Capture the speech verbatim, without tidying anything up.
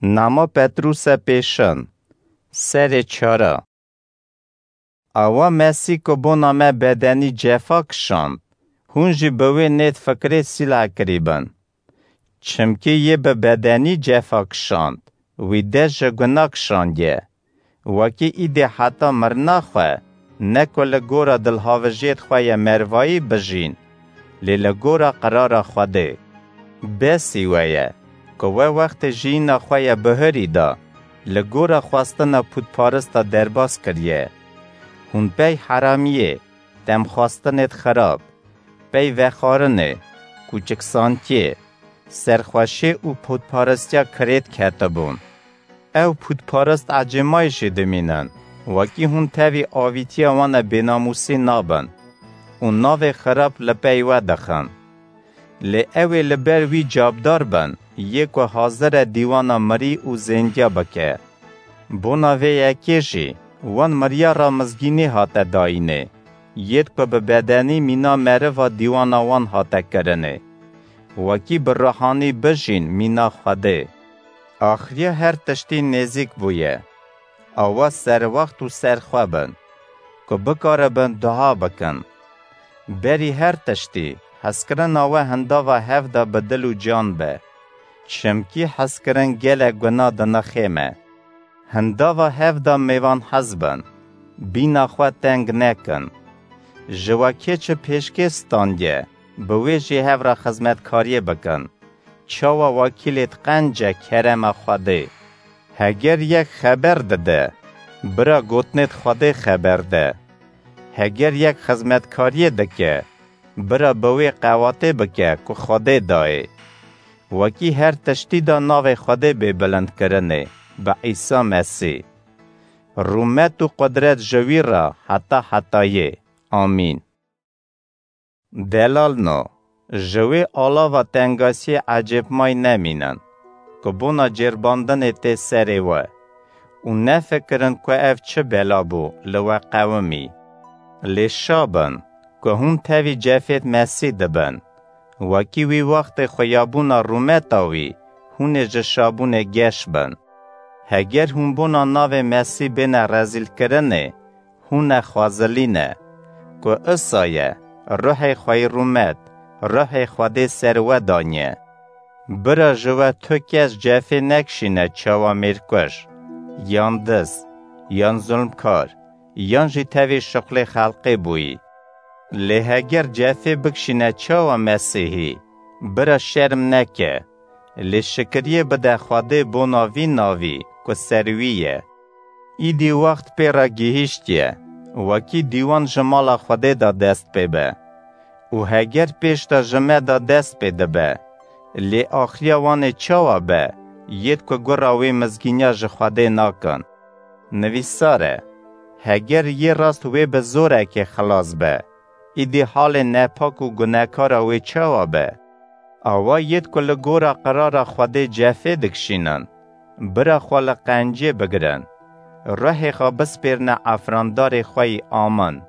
Nama Petrûse pêşin, serê çara. Awa Mesî ku bona me bedenî cefa kişand, hûn jî bi wê nêt fikrê sîleh kirîbin. Çimkî yê bi bedenî cefa kişand, wî dest ji guna kişandiye. Wekî îdê heta mirina xwe, ne ku li gora dilhavijiyêt xwe ye mervayî bijîn, lê li gora qirara Xwedê. Besî we ye, ku we wextê jiyîna xwe ye bihurî da, li gora xwestina pûtparista derbas kiriye. Hûn pey heramiyê, demxwestinêt xirab, pey vexwarinê, kûçiksantiyê, serxweşiyê û pûtparistiya kirêt ketibûn. Ew pûtparist ecêmayî jî dimînin, wekî hûn tevî avîtiya wan e bênamûsî nabin û navê xirab li pey we dixin. Lê ew ê li ber wî cabdar bin, yê ku hazir e dîwana mirî û zêndiya bike. Bona vê yekê jî, wan miriya ra mizgînî hate dayînê, yêd ku bi bedenî mîna meriva dîwana wan hate kirinê. Wekî bi ruhanî bijîn mîna Xwedê. Axiriya her tiştî nêzîk bûye. Awa serwext û serxwe bin, ku bikaribin dua bikin. Berî her tiştî, hezkirina we hindava hev de bi dil û can be. Çimkî hezkirin gelek guna dinixême. Hindava hev de mêvanhez bin, bîna xwe teng nekin. Ji we kê çi pêşkê standiye, bi wê jî hev re xizmetkariyê bikin. Çawa wekîlêt qenc e kerema Xwedê. Heger yek xeber dide, bira gotinêt Xwedê xeber de. Heger yek xizmetkariyê dike, bira bi wê qewatê bike ku Xwedê dayê. Wekî her tiştî de navê Xwedê bê bilindkirinê, bi Îsa Mesîh. Rûmet û qudret ji wî re heta hetayê. Amîn. Delalno, ji wê alava tengasiyê ecêbmayî nemînin, ku bona cêrbandinê tê serê we û nefikirin ku ev çi bela bû li we qewimî. Lê şa bin, ku hûn tevî cefêt Mesîh dibin, wekî wî wextê xuyabûna rûmeta wî hûn ê ji şabûnê geş bin. Heger hûn bona navê Mesîh bêne rezîlkirinê, hûn e xwezilî ne, ku isa ye, ruhê xweyî rûmet, ruhê Xwedê ser we daniye. Bira ji we tu kes cefê nekişîne çawa mêrkuj, yan diz, yan zulmkar, yan jî tevî şuxlê xelqê bûyî. Lê heger cefê bikişîne çawa Mesîhî, bira şerm neke, lê şikiriyê bide Xwedê bona vî navî ku ser wî ye. Îdî wext pê re gihîştiye, wekî dîwan ji mala Xwedê de dest pê be. Û heger pêş de ji me de dest pê dibe, lê axiriya wan ê çawa be, yêd ku gura wê mizgîniya ji Xwedê nakin? Nivîsar e, heger yê rast wê bi zorekê xilas be, îdî halê nepak û gunekara wê çawa be? Awa yêd ku li gora qirara Xwedê cefê dikişînin, bira xwe li qencê bigirin, ruhê xwe bispêrine efrandarê xwe yî amin.